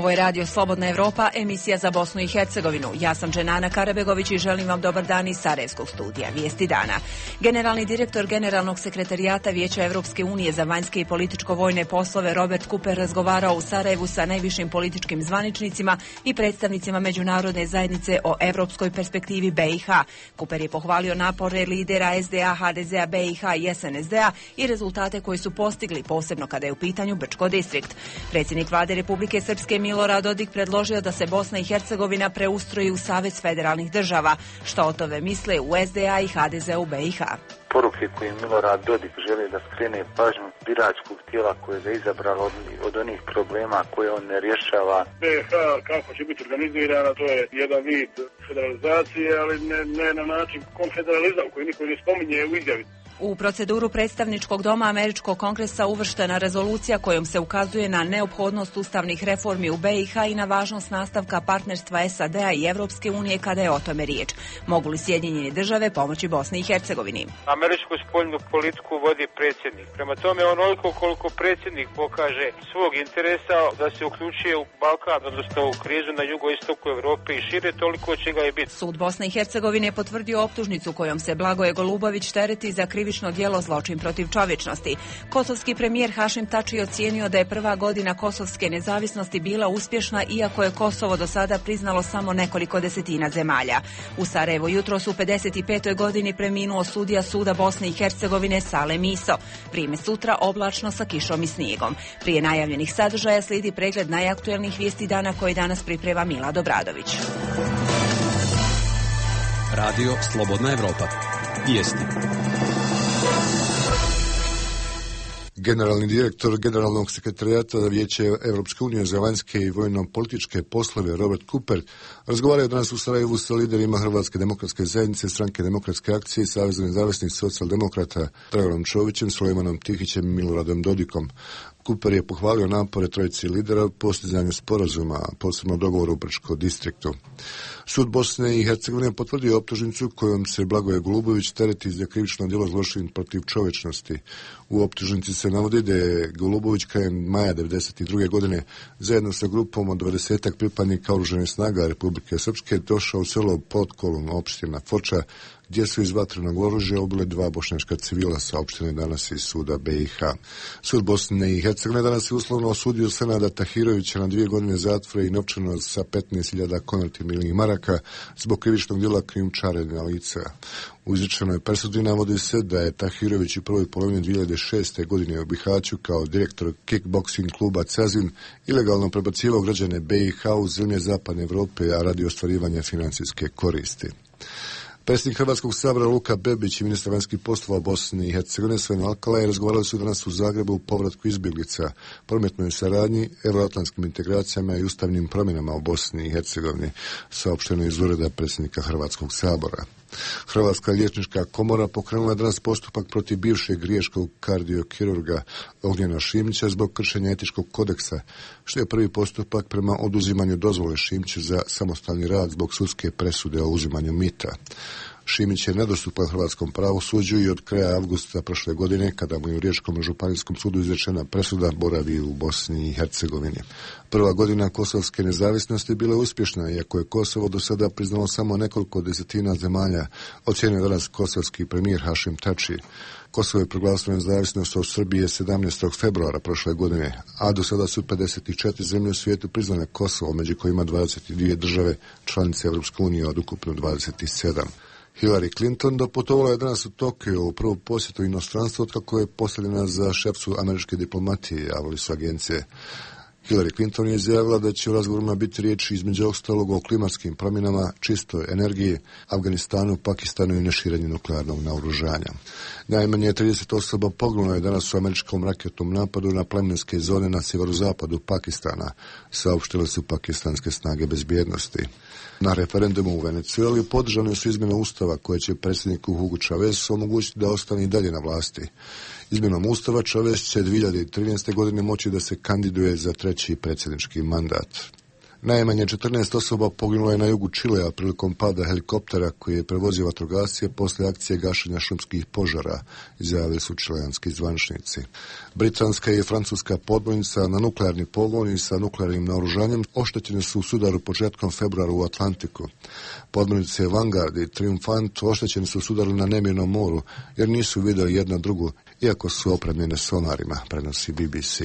Ovo je Radio Slobodna Evropa, emisija za Bosnu i Hercegovinu. Ja sam Dženana Karabegović i želim vam dobar dan iz Sarajevskog studija. Vijesti dana. Generalni direktor Generalnog sekretarijata Vijeća Evropske unije za vanjske i političko-vojne poslove Robert Cooper razgovarao u Sarajevu sa najvišim političkim zvaničnicima i predstavnicima međunarodne zajednice o evropskoj perspektivi BiH. Cooper je pohvalio napore lidera SDA, HDZ-a, BiH i SNSD-a i rezultate koji su postigli, posebno kada je u pitanju Brčko distrikt. Predsjednik Vlade Republike Srpske Milorad Dodik predložio da se Bosna i Hercegovina preustroji u Savez federalnih država. Što o tome misle u SDA i HDZ-u BiH? Poruke koje Milorad Dodik želi da skrene pažnju biračkog tijela koje je izabralo od onih problema koje on ne rješava. BiH kako će biti organizirana, to je jedan vid federalizacije, ali ne na način konfederalizam koji niko ne spominje u izjavi. U proceduru predstavničkog doma Američkog kongresa uvrštena rezolucija kojom se ukazuje na neophodnost ustavnih reformi u BiH i na važnost nastavka partnerstva SAD-a i Evropske unije kada je o tome riječ. Mogu li Sjedinjene države pomoći Bosni i Hercegovini? Američku spoljnu politiku vodi predsjednik. Prema tome, onoliko koliko predsjednik pokaže svog interesa da se uključuje u Balkan, odnosno u krizu na jugoistoku Evrope i šire, toliko će ga i biti. Sud Bosne i Hercegovine je potvrdio optužnicu kojom se Blagoje Golubović tereti za krivično djelo zločin protiv čovječnosti. Kosovski premijer Hašim Tači ocijenio da je prva godina kosovske nezavisnosti bila uspješna, iako je Kosovo do sada priznalo samo nekoliko desetina zemalja. U Sarajevu jutros u 55. godini preminuo sudija Suda Bosne i Hercegovine Salem Iso. Vrijeme sutra oblačno sa kišom i snijegom. Prije najavljenih sadržaja slijedi pregled najaktuelnijih vijesti dana koji danas priprema Milad Obradović. Radio Slobodna Evropa. Vijesti. Generalni direktor Generalnog sekretarijata Vijeća Evropske unije za vanjske i vojno-političke poslove Robert Cooper razgovarao danas u Sarajevu sa liderima Hrvatske demokratske zajednice, Stranke demokratske akcije i Saveza nezavisnih socijaldemokrata Draganom Čovićem, Sulejmanom Tihićem i Miloradom Dodikom. Cooper je pohvalio napore trojice lidera u postizanju sporazuma, posebno dogovoru u Brčko distriktu. Sud Bosne i Hercegovine potvrdio optužnicu kojom se Blagoje Golubović tereti za krivično djelo zločin protiv čovječnosti. U optužnici se navodi da je Golubović krajem maja 1992. godine zajedno sa grupom od 20 pripadnika oružanih snaga Republike Srpske došao u selo Potkolun, opština Foča, gdje su iz vatrenog oružja ubile 2 bošnjačka civila, saopštene danas iz suda BiH. Sud Bosne i Hercegovine danas je uslovno osudio Senada Tahirovića na 2 godine zatvora i novčano sa 15.000 konvertibilnih maraka zbog krivičnog djela krijumčarenja lica. U izrečenoj presudi navodi se da je Tahirović u prvoj polovini 2006. godine u Bihaću kao direktor kickboksing kluba Cazin ilegalno prebacivao građane BiH u zemlje zapadne Evrope, a radi ostvarivanja financijske koristi. Predsjednik Hrvatskog sabora Luka Bebić i ministar vanjskih poslova Bosne i Hercegovine Sven Alkalaj razgovarali su danas u Zagrebu o povratku izbjeglica, prometnoj saradnji, euroatlantskim integracijama i ustavnim promjenama u Bosni i Hercegovini, saopšteno iz ureda predsjednika Hrvatskog sabora. Hrvatska liječnička komora pokrenula danas postupak protiv bivšeg riječkog kardiokirurga Ognjena Šimića zbog kršenja etičkog kodeksa, što je prvi postupak prema oduzimanju dozvole Šimiću za samostalni rad zbog sudske presude o uzimanju mita. Šimić je nedostupan hrvatskom pravosuđu i od kraja avgusta prošle godine, kada mu je u Riječkom županijskom sudu izrečena presuda, boravi u Bosni i Hercegovini. Prva godina kosovske nezavisnosti bila je uspješna, iako je Kosovo do sada priznalo samo nekoliko desetina zemalja, ocjenio danas kosovski premijer Hašim Tači. Kosovo je proglasilo nezavisnost od Srbije 17. februara prošle godine, a do sada su 54 zemlje u svijetu priznale Kosovo, među kojima 22 države članice Evropske unije od ukupno 27. Hillary Clinton doputovala je danas u Tokio u prvu posjetu inostranstvu otkako je postavljena za šeficu američke diplomatije, javili su agencije. Hillary Clinton je izjavila da će u razgovorima biti riječ između ostalog o klimatskim promjenama, čistoj energiji, Afganistanu, Pakistanu i neširenju nuklearnog naoružanja. Najmanje 30 osoba poginulo je danas u američkom raketnom napadu na plemenske zone na sjeverozapadu Pakistana, saopštile su pakistanske snage bezbjednosti. Na referendumu u Venezueli podržane su izmjene ustava koje će predsjedniku Hugo Chavezu omogućiti da ostane i dalje na vlasti. Izmjenom ustava Chavez će 2013. godine moći da se kandiduje za 3. predsjednički mandat. Najmanje 14 osoba poginulo je na jugu Čilea prilikom pada helikoptera koji je prevozio vatrogasce poslije akcije gašenja šumskih požara, izjavili su čileanski zvaničnici. Britanska i francuska podmornica na nuklearni pogon i sa nuklearnim naoružanjem oštećene su u sudaru početkom februara u Atlantiku. Podmornice Vanguard i Triumphant oštećene su u sudaru na nemirnom moru jer nisu vidjeli jedna drugu, iako su opremljene sonarima, prenosi BBC.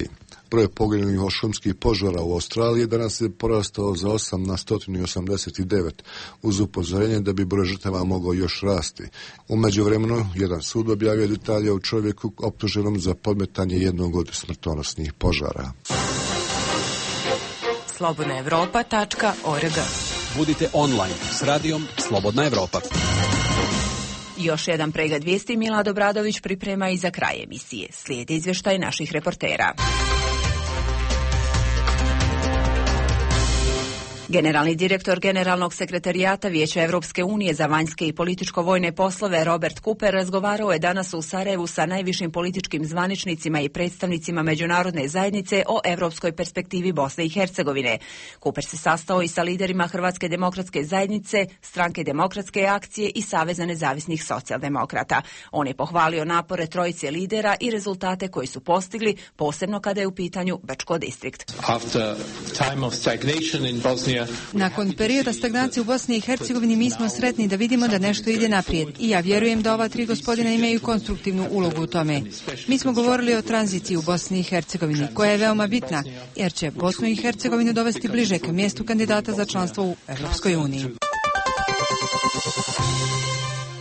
Broj poginulih od šumskih požara u Australiji danas je porastao za 8 na 189, uz upozorenje da bi broj žrtava mogao još rasti. U međuvremenu, jedan sud objavio detalje o čovjeku optuženom za podmetanje jednog od smrtonosnih požara. slobodnaevropa.org. Budite online s radijom Slobodna Evropa. Još jedan pregled vijesti Milad Obradović priprema i za kraj emisije. Slijedi izvještaj naših reportera. Generalni direktor Generalnog sekretarijata Vijeća Evropske unije za vanjske i političko-vojne poslove Robert Cooper razgovarao je danas u Sarajevu sa najvišim političkim zvaničnicima i predstavnicima međunarodne zajednice o europskoj perspektivi Bosne i Hercegovine. Cooper se sastao i sa liderima Hrvatske demokratske zajednice, Stranke demokratske akcije i Saveza nezavisnih socijaldemokrata. On je pohvalio napore trojice lidera i rezultate koji su postigli, posebno kada je u pitanju Brčko distrikt. Nakon perioda stagnacije u Bosni i Hercegovini mi smo sretni da vidimo da nešto ide naprijed i ja vjerujem da ova tri gospodina imaju konstruktivnu ulogu u tome. Mi smo govorili o tranziciji u Bosni i Hercegovini koja je veoma bitna jer će Bosnu i Hercegovinu dovesti bliže ka mjestu kandidata za članstvo u Europskoj uniji.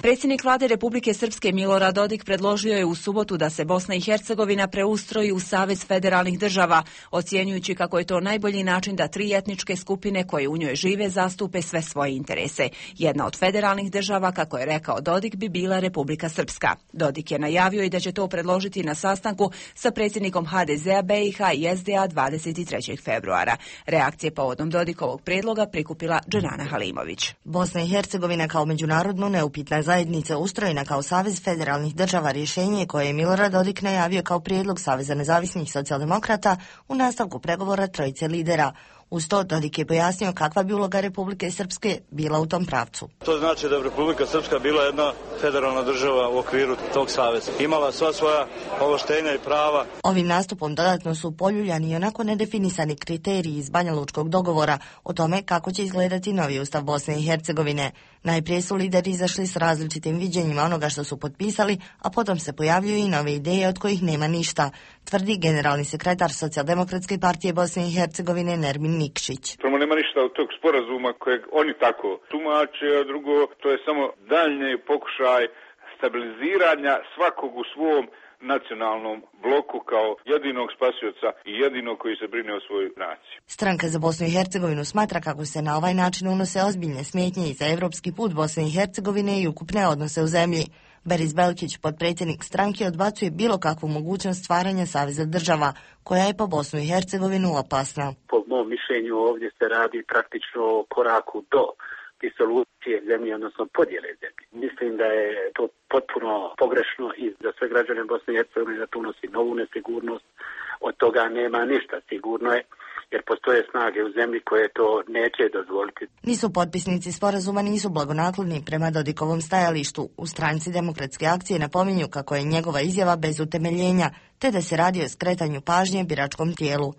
Predsjednik vlade Republike Srpske Milorad Dodik predložio je u subotu da se Bosna i Hercegovina preustroji u Savez federalnih država, ocjenjujući kako je to najbolji način da tri etničke skupine koje u njoj žive zastupe sve svoje interese. Jedna od federalnih država, kako je rekao Dodik, bi bila Republika Srpska. Dodik je najavio i da će to predložiti na sastanku sa predsjednikom HDZ-a BiH i SDA 23. februara. Reakcije povodom Dodikovog prijedloga prikupila Dženana Halimović. Bosna i Hercegovina kao međunarodno neupitna zajednica ustrojena kao Savez federalnih država rješenje koje je Milorad Dodik najavio kao prijedlog Saveza nezavisnih socijaldemokrata u nastavku pregovora trojice lidera. Uz to Dodik je pojasnio kakva bi uloga Republike Srpske bila u tom pravcu. To znači da bi Republika Srpska bila jedna federalna država u okviru tog saveza. Imala sva svoja ovlaštenja i prava. Ovim nastupom dodatno su poljuljani i onako nedefinisani kriteriji iz Banjalučkog dogovora o tome kako će izgledati novi ustav Bosne i Hercegovine. Najprije su lideri izašli s različitim viđenjima onoga što su potpisali, a potom se pojavljuju i nove ideje od kojih nema ništa, tvrdi generalni sekretar Socijaldemokratske partije Bosne i Hercegovine Nermin Nikšić. Prvo nema ništa od tog sporazuma kojeg oni tako tumače, a drugo to je samo daljnji pokušaj stabiliziranja svakog u svom nacionalnom bloku kao jedinog spasioca i jedinog koji se brine o svoju naciju. Stranka za Bosnu i Hercegovinu smatra kako se na ovaj način unose ozbiljne smetnje i za evropski put Bosne i Hercegovine i ukupne odnose u zemlji. Beris Belkić, potpredsjednik stranke, odbacuje bilo kakvu mogućnost stvaranja saveza država, koja je po Bosnu i Hercegovinu opasna. Po mom mišljenju ovdje se radi praktično o koraku do disolucije zemlje, odnosno podjele zemlje. Mislim da je to potpuno pogrešno i za sve građane Bosne i Hercegovine da to unosi novu nesigurnost. Od toga nema ništa, sigurno je, jer postoje snage u zemlji koje to neće dozvoliti. Nisu potpisnici sporazuma nisu blagonakloni prema Dodikovom stajalištu. U Stranci demokratske akcije napominju kako je njegova izjava bez utemeljenja, te da se radi o skretanju pažnje biračkom tijelu.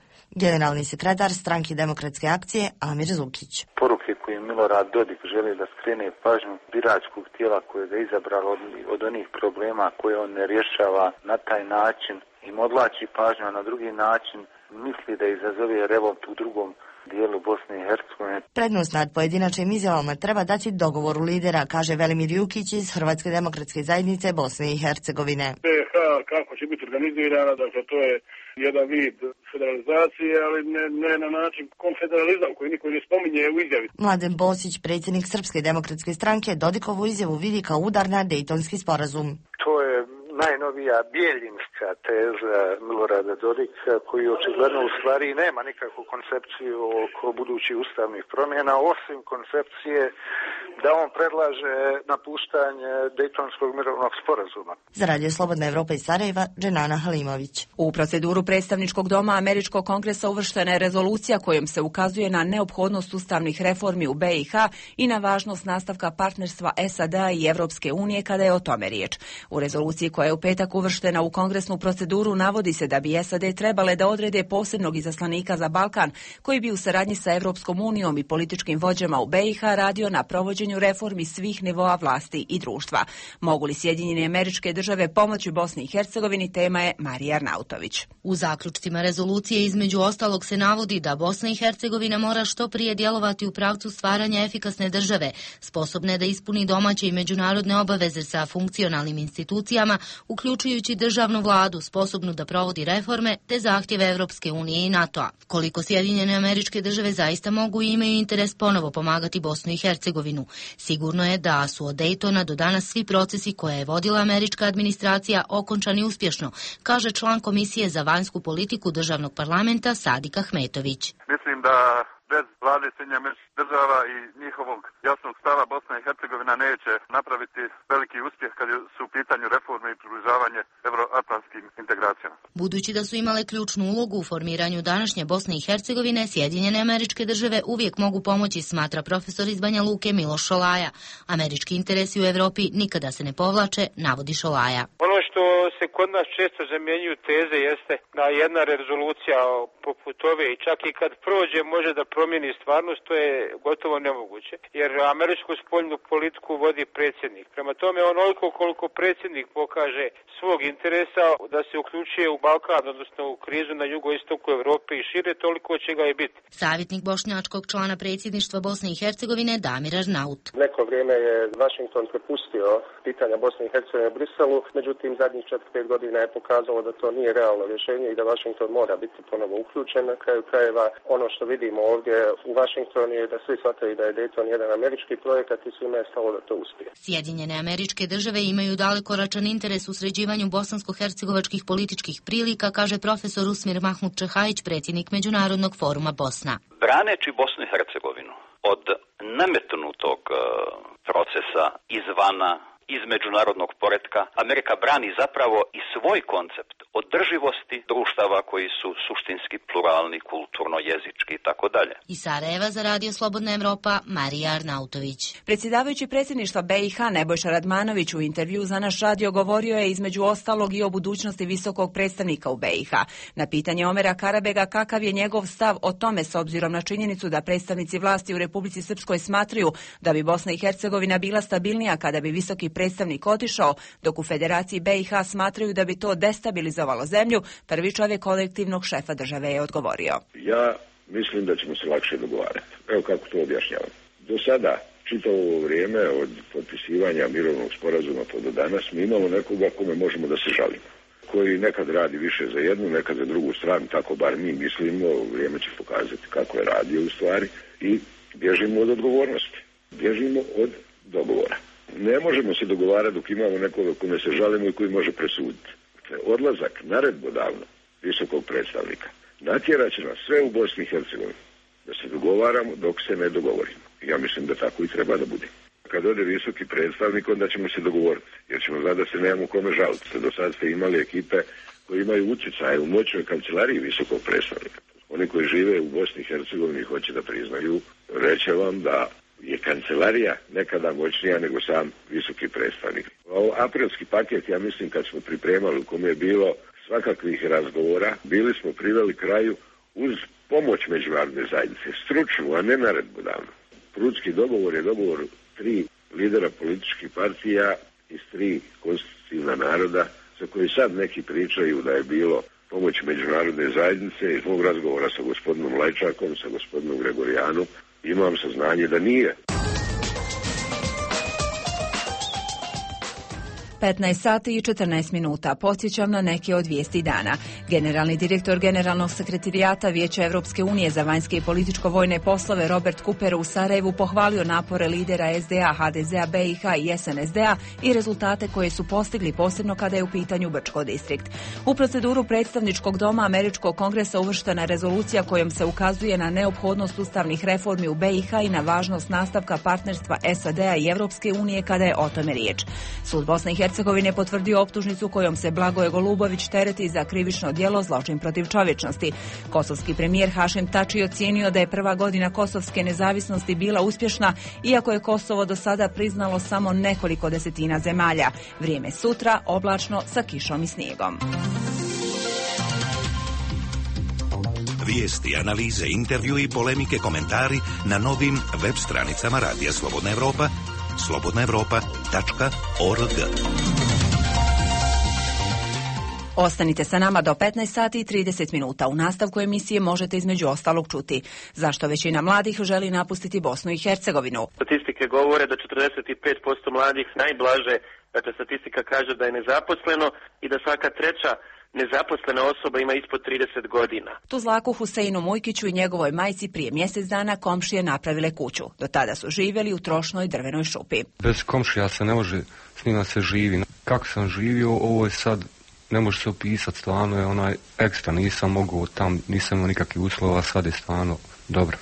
Generalni sekretar Stranke demokratske akcije Amir Zukić. Poruke koje Milorad Dodik želi da skrene pažnju biračkog tijela koje ga izabralo od onih problema koje on ne rješava na taj način, im odlači pažnju, a na drugi način misli da izazove revolt u drugom dijelu Bosne i Hercegovine. Prednost nad pojedinačnim izjavama treba dati dogovoru lidera, kaže Velimir Jukić iz Hrvatske demokratske zajednice Bosne i Hercegovine. BiH kako će biti organizirana, dakle to je jedan vid federalizacije, ali ne na način konfederalizam koji niko ne spominje u izjavi. Mladen Bosić, predsjednik Srpske demokratske stranke, Dodikovu izjavu vidi kao udar na Dejtonski sporazum. To je najnovija bijeljinska teza Milorada Dodika, koji očigledno u stvari nema nikakvu koncepciju oko budućih ustavnih promjena, osim koncepcije da on predlaže napuštanje Dejtonskog mirovnog sporazuma. Za Radio Slobodna Evropa iz Sarajeva, Dženana Halimović. U proceduru predstavničkog doma Američkog kongresa uvrštena je rezolucija kojom se ukazuje na neophodnost ustavnih reformi u BiH i na važnost nastavka partnerstva SAD-a i Evropske unije kada je o tome riječ. U rezoluciji koja je u petak uvrštena u kongresnu proceduru navodi se da bi SAD trebale da odrede posebnog izaslanika za Balkan koji bi u saradnji sa Evropskom unijom i političkim vođama u BiH radio na provođenju reformi svih nivoa vlasti i društva. Mogu li Sjedinjene Američke Države pomoći Bosni i Hercegovini, tema je Marija Arnautović. U zaključcima rezolucije između ostalog se navodi da Bosna i Hercegovina mora što prije djelovati u pravcu stvaranja efikasne države, sposobne da ispuni domaće i međunarodne obaveze sa funkcionalnim institucijama, uključujući državnu vladu, sposobnu da provodi reforme te zahtjeve Evropske unije i NATO-a. Koliko Sjedinjene Američke Države zaista mogu i imaju interes ponovo pomagati Bosnu i Hercegovinu. Sigurno je da su od Dejtona do danas svi procesi koje je vodila američka administracija okončani uspješno, kaže član Komisije za vanjsku politiku državnog parlamenta Sadik Ahmetović. Mislim da bez vlade Sjedinjenih Američkih Država i njihovog jasnog stava Bosna i Hercegovina neće napraviti veliki uspjeh kad su u pitanju reforme i približavanje euroatlantskim integracijama. Budući da su imale ključnu ulogu u formiranju današnje Bosne i Hercegovine, Sjedinjene Američke Države uvijek mogu pomoći, smatra profesor iz Banja Luke Miloš Šolaja. Američki interesi u Europi nikada se ne povlače, navodi Šolaja. Ono što se kod nas često zamjenjuju teze jeste da jedna rezolucija poput ove i čak i kad prođe može da promijeni stvarnost, to je gotovo nemoguće. Jer američku spoljnu politiku vodi predsjednik. Prema tome onoliko koliko predsjednik pokaže svog interesa da se uključuje u Balkan, odnosno u krizu na jugoistoku Europe i šire, toliko će ga i biti. Savjetnik bošnjačkog člana predsjedništva Bosne i Hercegovine Damir Arnaut. Neko vrijeme je Washington prepustio pitanja Bosne i Hercegovine u Briselu, međutim zadnjih 4-5 godina je pokazalo da to nije realno rješenje i da Washington mora biti ponovo uključen. Na kraju krajeva ono što vidimo ovdje u Washingtonu je da svi shvataju da je Dayton jedan američki projekat i svima je stalo da to uspije. Sjedinjene Američke Države imaju dalekoračan interes u sređivanju bosansko-hercegovačkih političkih prilika, kaže profesor Usmir Mahmud Čehajić, predsjednik Međunarodnog foruma Bosna. Braneći Bosnu i Hercegovinu od nametnutog procesa izvana, iz međunarodnog poretka, Amerika brani zapravo i svoj koncept održivosti društava koji su suštinski pluralni, kulturno, jezički i tako dalje. Iz Sarajeva za Radio Slobodna Evropa, Marija Arnautović. Predsjedavajući predsjedništva BiH Nebojša Radmanović u intervju za naš radio govorio je između ostalog i o budućnosti visokog predstavnika u BiH. Na pitanje Omera Karabega kakav je njegov stav o tome s obzirom na činjenicu da predstavnici vlasti u Republici Srpskoj smatraju da bi Bosna i Hercegovina bila stabilnija kada bi visoki predstavnik otišao, dok u Federaciji BiH smatraju da bi to destabilizovalo zemlju, prvi čovjek kolektivnog šefa države je odgovorio. Ja mislim da ćemo se lakše dogovarati. Evo kako to objašnjavam. Do sada, čitavo ovo vrijeme od potpisivanja mirovnog sporazuma pa do danas, mi imamo nekoga kome možemo da se žalimo. Koji nekad radi više za jednu, nekad za drugu stranu, tako bar mi mislimo, vrijeme će pokazati kako je radio u stvari i bježimo od odgovornosti. Bježimo od dogovora. Ne možemo se dogovarati dok imamo nekoga kome se žalimo i koji može presuditi. Odlazak naredbodavno visokog predstavnika natjerat će nas sve u Bosni i Hercegovini da se dogovaramo dok se ne dogovorimo. Ja mislim da tako i treba da bude. Kad ode visoki predstavnik, onda ćemo se dogovoriti, jer ćemo znati da se nemamo kome žaliti. Do sad ste imali ekipe koji imaju utjecaje u moćnoj kancelariji visokog predstavnika. Oni koji žive u Bosni i Hercegovini hoće da priznaju, reće vam da je kancelarija nekada moćnija nego sam visoki predstavnik. Aprilski paket, ja mislim, kad smo pripremali, u kome je bilo svakakvih razgovora, bili smo priveli kraju uz pomoć međunarodne zajednice, stručnu, a ne naredbodavnu. Prudski dogovor je dogovor 3 lidera političkih partija iz 3 konstitutivna naroda, za koji sad neki pričaju da je bilo pomoć međunarodne zajednice. Iz mog razgovora sa gospodinom Lajčakom, sa gospodinom Gregorijanom, imam saznanje da nije. 15 sati i 14 minuta. Podsjećam na neke od vijesti dana. Generalni direktor Generalnog sekretarijata Vijeća Evropske unije za vanjske i političko-vojne poslove Robert Cooper u Sarajevu pohvalio napore lidera SDA, HDZ-a, BiH i SNSD-a i rezultate koje su postigli, posebno kada je u pitanju Brčko distrikt. U proceduru predstavničkog doma Američkog kongresa uvrštena rezolucija kojom se ukazuje na neophodnost ustavnih reformi u BiH i na važnost nastavka partnerstva SAD-a i Evropske unije kada je o tome riječ. Sud Bosne i Hercegovine potvrdio optužnicu kojom se Blagoje Golubović tereti za krivično djelo zločin protiv čovječnosti. Kosovski premijer Hašim Tači ocijenio da je prva godina kosovske nezavisnosti bila uspješna, iako je Kosovo do sada priznalo samo nekoliko desetina zemalja. Vrijeme sutra oblačno sa kišom i snijegom. Vijesti, analize, intervju i polemike, komentari na novim web stranicama Radija Slobodna Evropa, slobodnaevropa.org. Ostanite sa nama do 15 sati i 30 minuta. U nastavku emisije možete između ostalog čuti zašto većina mladih želi napustiti Bosnu i Hercegovinu. Statistike govore da 45% mladih najblaže, dakle statistika kaže da je nezaposleno i da svaka treća nezaposlena osoba ima ispod 30 godina. Tuzlaku Huseinu Mujkiću i njegovoj majci prije mjesec dana komšije napravile kuću. Do tada su živjeli u trošnoj drvenoj šupi. Bez komšija se ne može, s njima se živi. Kako sam živio, ovo je sad, ne može se opisati, stvarno je onaj ekstra, nisam mogao tam, nisam imao nikakvih uslova, sad je stvarno dobro.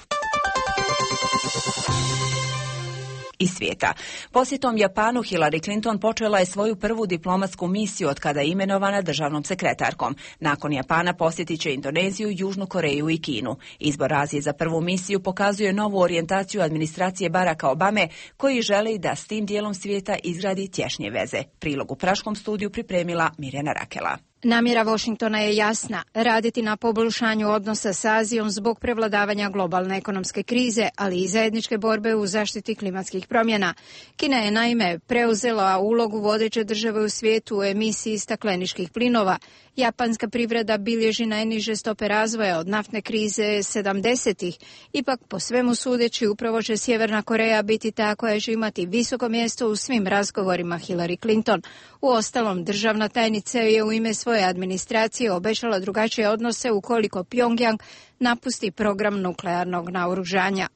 Iz svijeta. Posjetom Japanu Hillary Clinton počela je svoju prvu diplomatsku misiju od kada je imenovana državnom sekretarkom. Nakon Japana posjetit će Indoneziju, Južnu Koreju i Kinu. Izbor Azije za prvu misiju pokazuje novu orijentaciju administracije Baracka Obame, koji želi da s tim dijelom svijeta izgradi tješnje veze. Prilog u Praškom studiju pripremila Mirjana Rakela. Namjera Washingtona je jasna, raditi na poboljšanju odnosa s Azijom zbog prevladavanja globalne ekonomske krize, ali i zajedničke borbe u zaštiti klimatskih promjena. Kina je naime preuzela ulogu vodeće države u svijetu u emisiji stakleničkih plinova. Japanska privreda bilježi najniže stope razvoja od naftne krize 70-ih. Ipak, po svemu sudeći, upravo će Sjeverna Koreja biti ta koja će imati visoko mjesto u svim razgovorima Hillary Clinton. Uostalom, državna tajnica je u ime svoje administracije obećala drugačije odnose ukoliko Pyongyang napusti program nuklearnog naoružanja.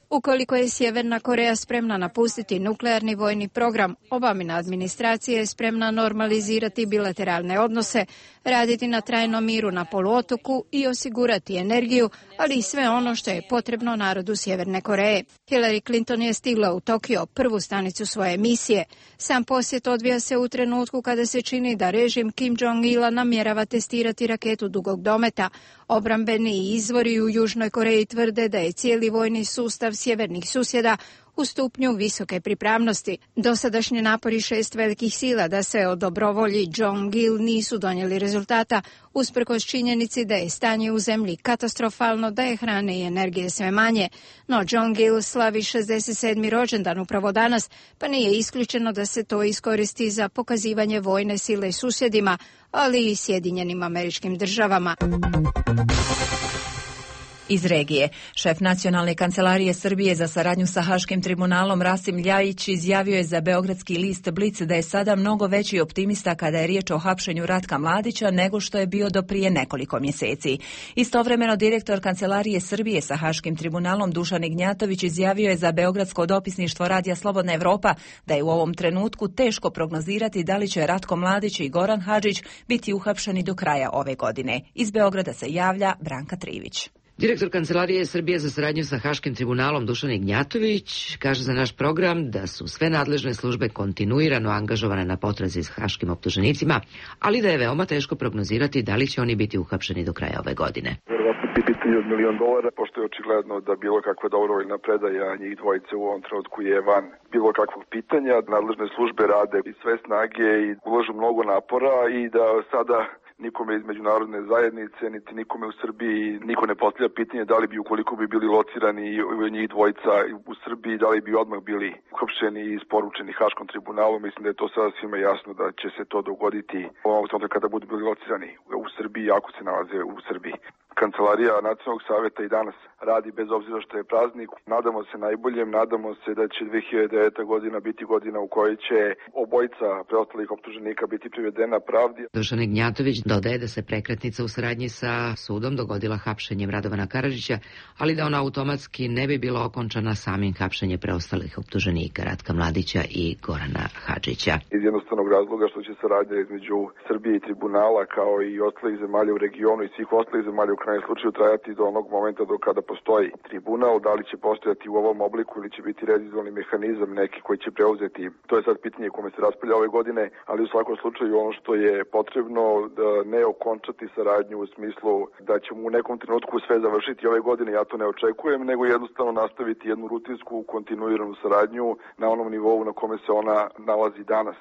Ukoliko je Sjeverna Koreja spremna napustiti nuklearni vojni program, Obamina administracija je spremna normalizirati bilateralne odnose, raditi na trajnom miru na poluotoku i osigurati energiju, ali i sve ono što je potrebno narodu Sjeverne Koreje. Hillary Clinton je stigla u Tokio, prvu stanicu svoje misije. Sam posjet odvija se u trenutku kada se čini da režim Kim Jong-ila namjerava testirati raketu dugog dometa. Obrambeni izvori u Južnoj Koreji tvrde da je cijeli vojni sustav sjevernih susjeda u stupnju visoke pripravnosti. Dosadašnji napori 6 velikih sila da se o dobrovolji Jong-il nisu donijeli rezultata, usprkos činjenici da je stanje u zemlji katastrofalno, da je hrane i energije sve manje. No Jong-il slavi 67. rođendan upravo danas, pa nije isključeno da se to iskoristi za pokazivanje vojne sile susjedima, ali i Sjedinjenim Američkim Državama. Iz regije. Šef Nacionalne kancelarije Srbije za saradnju sa Haškim tribunalom Rasim Ljajić izjavio je za beogradski list Blic da je sada mnogo veći optimista kada je riječ o hapšenju Ratka Mladića nego što je bio do prije nekoliko mjeseci. Istovremeno direktor Kancelarije Srbije sa Haškim tribunalom Dušan Ignjatović izjavio je za beogradsko dopisništvo Radija Slobodna Evropa da je u ovom trenutku teško prognozirati da li će Ratko Mladić i Goran Hadžić biti uhapšeni do kraja ove godine. Iz Beograda se javlja Branka Trivić. Direktor Kancelarije Srbije za saradnju sa Haškim tribunalom Dušan Ignjatović kaže za naš program da su sve nadležne službe kontinuirano angažovane na potrazi s haškim optuženicima, ali da je veoma teško prognozirati da li će oni biti uhapšeni do kraja ove godine. Vjerovatno bi pitanje od $1 milion, pošto je očigledno da bilo kakva dobrovoljna predaja njih dvojice u ovom trenutku je van bilo kakvog pitanja. Nadležne službe rade i sve snage i ulažu mnogo napora i da sada nikome iz međunarodne zajednice, niti nikome u Srbiji, niko ne postavlja pitanje da li bi, ukoliko bi bili locirani njih dvojica u Srbiji, da li bi odmah bili uhapšeni i isporučeni Haškom tribunalu. Mislim da je to sada svima jasno da će se to dogoditi ovog trenutka kada budu bili locirani u Srbiji, ako se nalaze u Srbiji. Kancelarija Nacionalnog savjeta i danas radi bez obzira što je praznik. Nadamo se najboljem, nadamo se da će 2009. godina biti godina u kojoj će obojica preostalih optuženika biti privedena pravdi. Dušan Gnjatović dodaje da se prekretnica u saradnji sa sudom dogodila hapšenjem Radovana Karadžića, ali da ona automatski ne bi bila okončana samim hapšenjem preostalih optuženika Ratka Mladića i Gorana Hadžića. Iz jednostavnog razloga što će saradnja između Srbije i tribunala kao i ostalih zemalja u regionu i svih ostalih zemalja u krajnjem slučaju trajati do onog momenta do kada postoji tribunal, da li će postojati u ovom obliku ili će biti revizioni mehanizam neki koji će preuzeti. To je sad pitanje kome se raspravlja ove godine, ali u svakom slučaju ono što je potrebno da ne okončati saradnju u smislu da ćemo u nekom trenutku sve završiti ove godine, ja to ne očekujem, nego jednostavno nastaviti jednu rutinsku, kontinuiranu saradnju na onom nivou na kome se ona nalazi danas.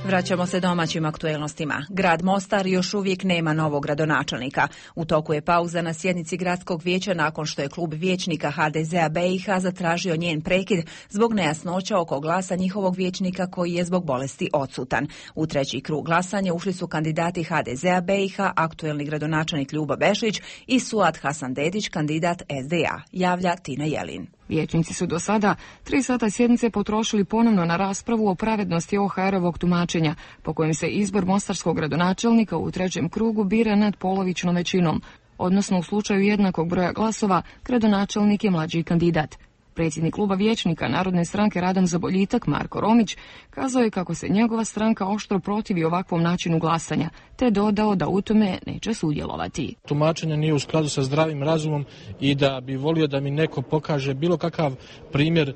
Vraćamo se domaćim aktuelnostima. Grad Mostar još uvijek nema novog gradonačelnika. U toku je pauza na sjednici gradskog vijeća nakon što je klub vijećnika HDZ-a BiH zatražio njen prekid zbog nejasnoća oko glasa njihovog vijećnika koji je zbog bolesti odsutan. U treći krug glasanja ušli su kandidati HDZ-a BiH, aktuelni gradonačelnik Ljubo Bešlić i Suad Hasandedić, kandidat SDA, javlja Tina Jelin. Vijećnici su do sada 3 sata sjednice potrošili ponovno na raspravu o pravednosti OHR-ovog tumačenja, po kojem se izbor mostarskog gradonačelnika u trećem krugu bira nadpolovičnom većinom, odnosno u slučaju jednakog broja glasova, gradonačelnik je mlađi kandidat. Predsjednik kluba vijećnika Narodne stranke Radan za boljitak Marko Romić kazao je kako se njegova stranka oštro protivi ovakvom načinu glasanja, te dodao da u tome neće sudjelovati. Tumačenje nije u skladu sa zdravim razumom i da bi volio da mi neko pokaže bilo kakav primjer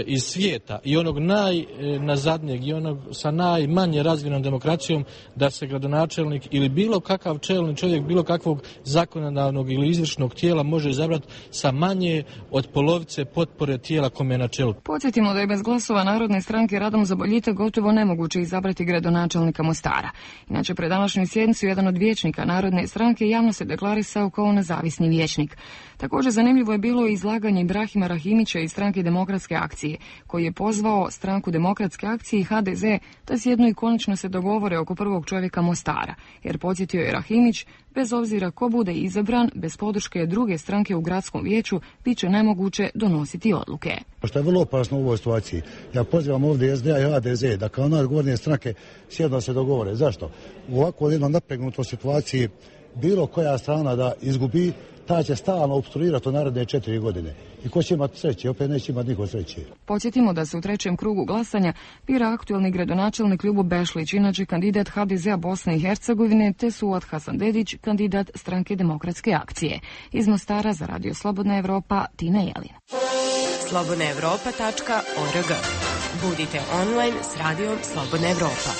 iz svijeta i onog najnazadnijeg i onog sa najmanje razvijenom demokracijom da se gradonačelnik ili bilo kakav čelni čovjek bilo kakvog zakonodavnog ili izvršnog tijela može izabrati sa manje od polovice potpore tijela kome je na čelu. Podsjetimo da je bez glasova Narodne stranke Radom za boljitak gotovo nemoguće izabrati gradonačelnika Mostara. Inače, pred današnju sjednicu jedan od vijećnika Narodne stranke javno se deklarisao kao nezavisni vijećnik. Također zanimljivo je bilo izlaganje Ibrahima Rahimića iz stranke Demokratske akcije, koji je pozvao stranku Demokratske akcije i HDZ da sjednu i konačno se dogovore oko prvog čovjeka Mostara, jer podsjetio je Rahimić, bez obzira ko bude izabran, bez podrške druge stranke u gradskom vijeću, bit će nemoguće donositi odluke. Što je vrlo opasno u ovoj situaciji. Ja pozivam ovdje SDA i HDZ da kao najodgovornije stranke sjedno se dogovore. Zašto? U ovako jednom napregnutoj situaciji bilo koja strana da izgubi, ta će stalno opstruirati u naredne 4 godine. I ko će imati sreće? Opet neće imati niko sreće. Podsjetimo da se u trećem krugu glasanja bira aktuelni gradonačelnik Ljubo Bešlić, inače kandidat HDZ-a Bosne i Hercegovine, te Suad Hasandedić, kandidat stranke Demokratske akcije. Iz Mostara za Radio Slobodna Evropa, Tina Jelin. slobodnaevropa.org. Budite online s Radijom Slobodna Evropa.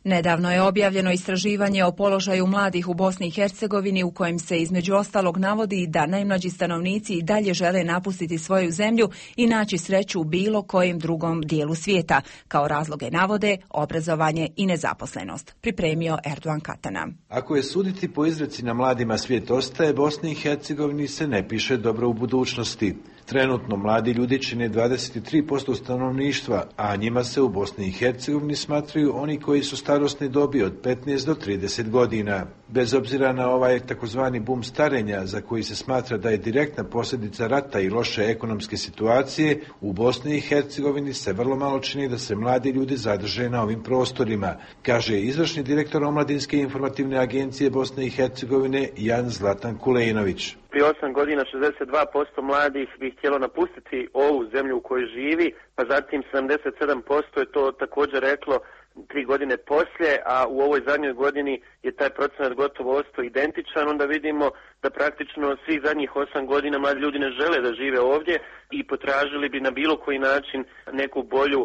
Nedavno je objavljeno istraživanje o položaju mladih u Bosni i Hercegovini u kojem se između ostalog navodi da najmlađi stanovnici i dalje žele napustiti svoju zemlju i naći sreću u bilo kojem drugom dijelu svijeta. Kao razloge navode obrazovanje i nezaposlenost. Pripremio Erdogan Katana. Ako je suditi po izreci na mladima svijet ostaje, Bosni i Hercegovini se ne piše dobro u budućnosti. Trenutno mladi ljudi čine 23% stanovništva, a njima se u Bosni i Hercegovini smatraju oni koji su starosne dobi od 15 do 30 godina. Bez obzira na ovaj takozvani bum starenja, za koji se smatra da je direktna posljedica rata i loše ekonomske situacije, u Bosni i Hercegovini se vrlo malo čini da se mladi ljudi zadrže na ovim prostorima, kaže izvršni direktor Omladinske informativne agencije Bosne i Hercegovine Jan Zlatan Kulejnović. Prije 8 godina 62% mladih bi htjelo napustiti ovu zemlju u kojoj živi, pa zatim 77% je to također reklo 3 godine poslije, a u ovoj zadnjoj godini je taj procenat gotovo ostao identičan. Onda vidimo da praktično svih zadnjih 8 godina mladi ljudi ne žele da žive ovdje i potražili bi na bilo koji način neku bolju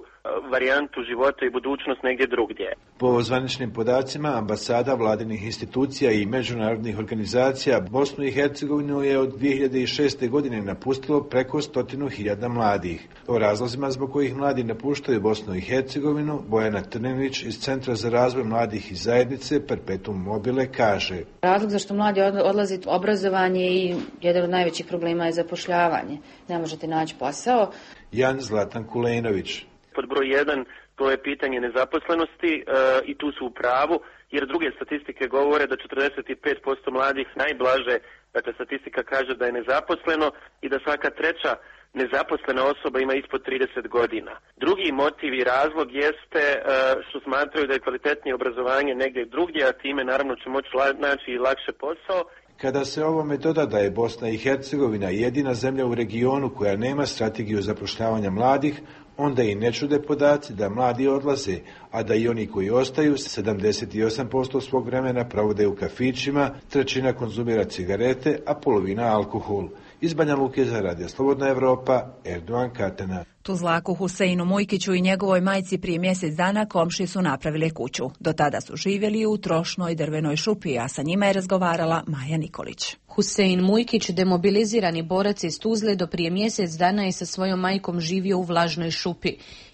varijantu života i budućnost negdje drugdje. Po zvaničnim podacima ambasada, vladinih institucija i međunarodnih organizacija, Bosnu i Hercegovinu je od 2006. godine napustilo preko 100.000 mladih. O razlozima zbog kojih mladi napuštaju Bosnu i Hercegovinu, Bojana Trninić iz Centra za razvoj mladih i zajednice Perpetuum mobile kaže: Razlog zašto mladi odlazi obrazovanje i jedan od najvećih problema je zapošljavanje. Ne možete naći posao. Jan Zlatan Kulejnović. Pod broj 1 to je pitanje nezaposlenosti i tu su u pravu, jer druge statistike govore da 45% mladih najblaže, dakle statistika kaže da je nezaposleno i da svaka treća nezaposlena osoba ima ispod 30 godina. Drugi motiv i razlog jeste što smatraju da je kvalitetnije obrazovanje negdje drugdje, a time naravno će moći naći i lakše posao. Kada se ovome doda da je Bosna i Hercegovina jedina zemlja u regionu koja nema strategiju zapošljavanja mladih, onda i ne čude podaci da mladi odlaze, a da i oni koji ostaju 78% svog vremena provode u kafićima, trećina konzumira cigarete, a polovina alkohol. Iz Banja Luke za Radio Slobodna Evropa, Erdogan Katana. Tuzlaku Huseinu Mujkiću i njegovoj majci prije mjesec dana komši su napravile kuću. Do tada su živjeli u trošnoj drvenoj šupi, a sa njima je razgovarala Maja Nikolić. Husein Mujkić, demobilizirani borac iz Tuzle, do prije mjesec dana je sa svojom majkom živio u vlažnoj šupi.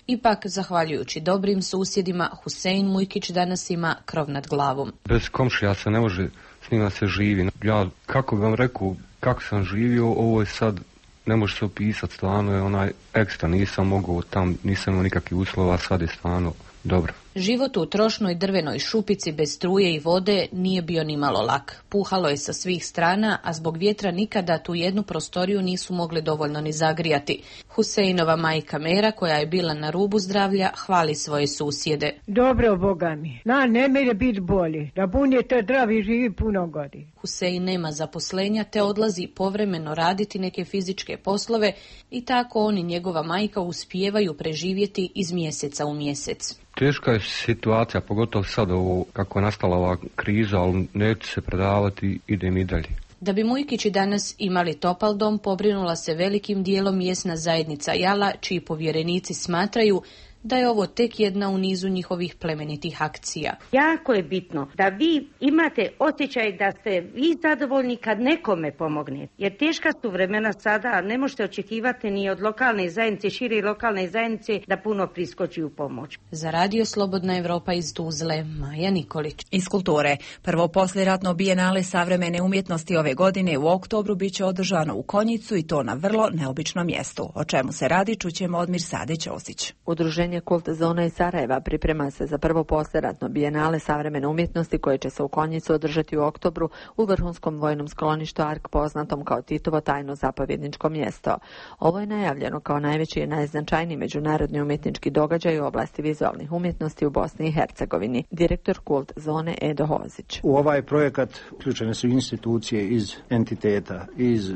Ipak, zahvaljujući dobrim susjedima, Husein Mujkić danas ima krov nad glavom. Bez komšija se ne može, s njima se živi. Ja, kako bi vam rekao, kako sam živio, ovo je sad, ne može se opisati, stvarno je onaj ekstra, nisam mogao tam, nisam imao nikakvih uslova, sad je stvarno dobro. Život u trošnoj drvenoj šupici bez struje i vode nije bio ni malo lak. Puhalo je sa svih strana, a zbog vjetra nikada tu jednu prostoriju nisu mogli dovoljno ni zagrijati. Huseinova majka Mera, koja je bila na rubu zdravlja, hvali svoje susjede. Dobro, Boga mi. Ne mere biti bolje. Da budete zdravi, živi puno godina. Husein nema zaposlenja te odlazi povremeno raditi neke fizičke poslove i tako on i njegova majka uspijevaju preživjeti iz mjeseca u mjesec. Teška je situacija, pogotovo sad ovo, kako je nastala ova kriza, ali neću se predavati, idem i dalje. Da bi Mujkići danas imali topal dom, pobrinula se velikim dijelom mjesna zajednica Jala, čiji povjerenici smatraju da je ovo tek jedna u nizu njihovih plemenitih akcija. Jako je bitno da vi imate osjećaj da ste vi zadovoljni kad nekome pomogne. Jer teška su vremena sada, ne možete očekivati ni od lokalne zajednice, šire lokalne zajednice da puno priskoči u pomoć. Za Radio Slobodna Evropa iz Tuzle, Maja Nikolić. Iz kulture. Prvo poslijeratno bijenale savremene umjetnosti ove godine u oktobru bit će održano u Konjicu i to na vrlo neobičnom mjestu. O čemu se radi, čućemo od Mirsade Ćosić. Udruženje Kult Zona iz Sarajeva priprema se za prvo poslijeratno bijenale savremene umjetnosti koje će se u Konjicu održati u oktobru u vrhunskom vojnom skloništu Ark, poznatom kao Titovo tajno zapovjedničko mjesto. Ovo je najavljeno kao najveći i najznačajniji međunarodni umjetnički događaj u oblasti vizualnih umjetnosti u Bosni i Hercegovini. Direktor Kult Zone Edo Hozić. U ovaj projekat uključene su institucije iz entiteta, iz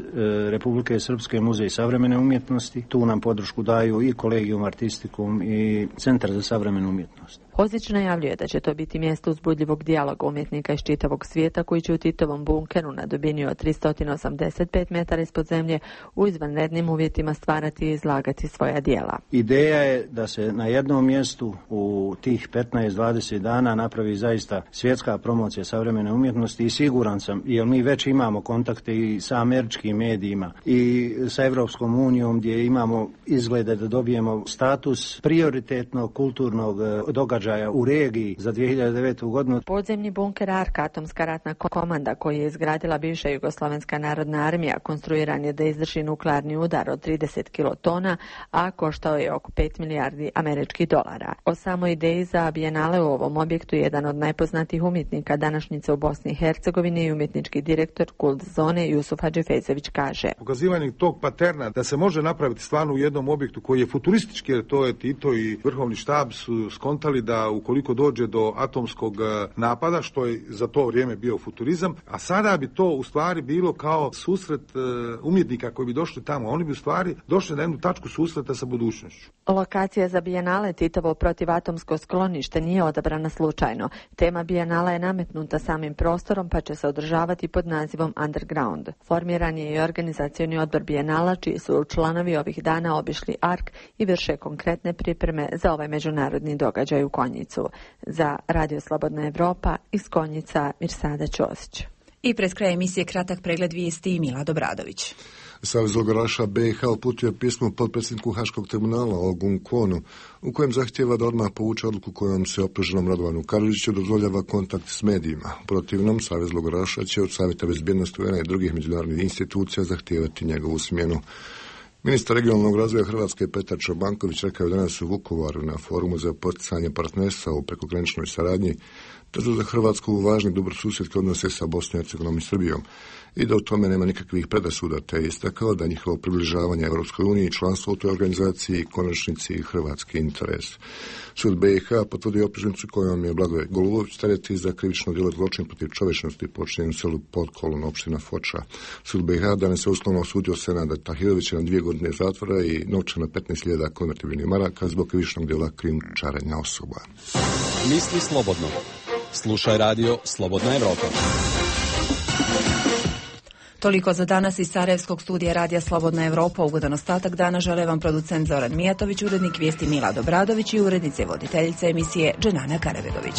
Republike Srpske muzej savremene umjetnosti. Tu nam podršku daju i Collegium Artisticum i Centar za savremenu umjetnost. Hozić najavljuje da će to biti mjesto uzbudljivog dijaloga umjetnika iz čitavog svijeta koji će u Titovom bunkeru na dubini od 385 metara ispod zemlje u izvanrednim uvjetima stvarati i izlagati svoja djela. Ideja je da se na jednom mjestu u tih 15-20 dana napravi zaista svjetska promocija savremene umjetnosti i siguran sam, jer mi već imamo kontakte i sa američkim medijima i sa Evropskom unijom gdje imamo izglede da dobijemo status prioritetnog kulturnog događaja u regiji za 2009. godinu. Podzemni bunker Ark, atomska ratna komanda koju je izgradila bivša Jugoslovenska narodna armija, konstruiran je da izdrži nuklearni udar od 30 kilotona, a koštao je oko 5 milijardi američkih dolara. O samoj ideji za bijenale u ovom objektu jedan od najpoznatijih umjetnika današnjice u Bosni i Hercegovini i umjetnički direktor Kult Zone Jusuf Hadžifezović kaže. Pokazivanje tog paterna da se može napraviti stvarno u jednom objektu koji je futuristički, jer to je Tito i vrhovni štab su skontali da ukoliko dođe do atomskog napada, što je za to vrijeme bio futurizam, a sada bi to u stvari bilo kao susret umjetnika koji bi došli tamo. Oni bi u stvari došli na jednu tačku susreta sa budućnošću. Lokacija za bijenale Titovo protivatomsko sklonište nije odabrana slučajno. Tema bijenala je nametnuta samim prostorom pa će se održavati pod nazivom Underground. Formiran je i organizacioni odbor bijenala čiji su članovi ovih dana obišli Ark i vrše konkretne pripreme za ovaj međunarodni događaj u Konjicu. Za Radio Slobodna Evropa iz Konjica Mirsada Ćosić. I pred kraj emisije kratak pregled vijesti Milad Obradović. Savez logoraša BiH uputio pismo potpredsjedniku Haškog tribunala Ogun Kwonu, u kojem zahtjeva da odmah povuče odluku kojom se optuženom Radovanu Karadžiću dozvoljava kontakt s medijima. Protivnom, Savez logoraša će od Savjeta bezbjednosti UN i drugih međunarodnih institucija zahtijevati njegovu smjenu. Ministar regionalnog razvoja Hrvatske Petar Čobanković rekao je danas u Vukovaru na forumu za poticanje partnerstva u prekograničnoj saradnji da su za Hrvatsku važni dobrosusjedski odnose sa Bosnom i Hercegovinom i Srbijom i da u tome nema nikakvih predrasuda, te je istakao da njihovo približavanje Europskoj uniji i članstvo u toj organizaciji konačnici hrvatski interes. Sud BiH potvrdio optužnicu kojom je Blagoje Golubović tereti za krivično djelo zločin protiv čovječnosti počinjen u selu Podkolon, opština Foča. Sud BiH danas je uslovno osudio Senada Tahirovića na 2 godine zatvora i novčana 15.000 konvertibilnih maraka zbog krivičnog djela krijumčarenja osoba. Misli slobodno. Slušaj radio Slobodna Evropa. Toliko za danas iz Sarajevskog studija radija Slobodna Evropa. Ugodan ostatak dana žele vam producent Zoran Mijatović, urednik vijesti Milad Obradović i urednice voditeljice emisije Dženana Karabegović.